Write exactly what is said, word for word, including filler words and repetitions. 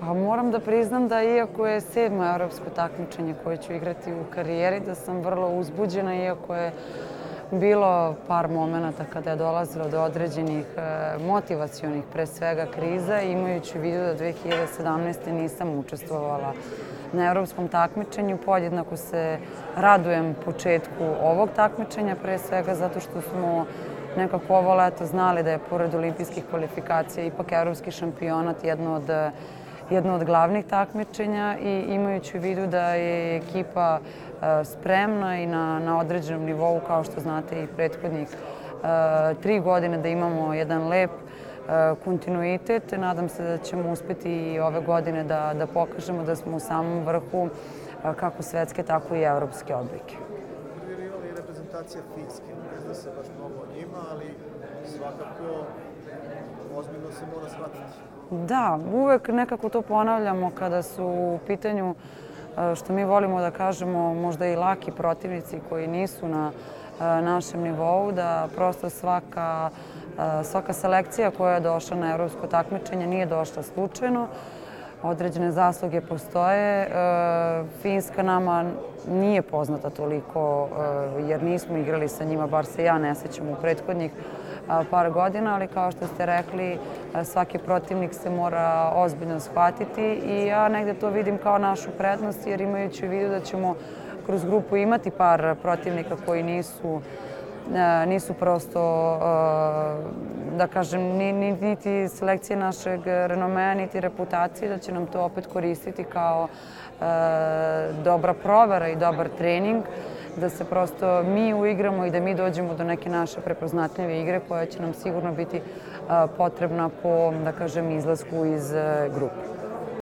Pa moram da priznam da iako je sedmo evropsko takmičenje koje ću igrati u karijeri, da sam vrlo uzbuđena, iako je bilo par momenata kada je dolazilo do određenih motivacionih, pre svega, kriza, imajući u vidu da dve hiljade sedamnaeste. nisam učestvovala na evropskom takmičenju. Podjednako se radujem početku ovog takmičenja, pre svega zato što smo nekako ovo leto znali da je pored olimpijskih kvalifikacija ipak evropski šampionat jedno od jedno od glavnih takmičenja i imajući u vidu da je ekipa spremna i na, na određenom nivou, kao što znate i prethodnih tri godine, da imamo jedan lep kontinuitet. Nadam se da ćemo uspeti i ove godine da, da pokažemo da smo u samom vrhu kako svetske, tako i evropske odbojke. Prvi rival je reprezentacija Finske. Ne zna se baš mnogo o njima, ali svakako ozbiljno se mora shvatiti. Da, uvek nekako to ponavljamo kada su u pitanju, što mi volimo da kažemo, možda i laki protivnici koji nisu na našem nivou, da prosto svaka, svaka selekcija koja je došla na evropsko takmičenje nije došla slučajno. Određene zasluge postoje. Finska nama nije poznata toliko jer nismo igrali sa njima, bar se ja ne sećam u prethodnih par godina, ali kao što ste rekli, svaki protivnik se mora ozbiljno shvatiti i ja negde to vidim kao našu prednost, jer imajući u vidu da ćemo kroz grupu imati par protivnika koji nisu nisu prosto, da kažem, niti selekcije našeg renomea, niti reputacije, da će nam to opet koristiti kao dobra provera i dobar trening, da se prosto mi uigramo i da mi dođemo do neke naše prepoznatljive igre koja će nam sigurno biti potrebna po, da kažem, izlasku iz grupe.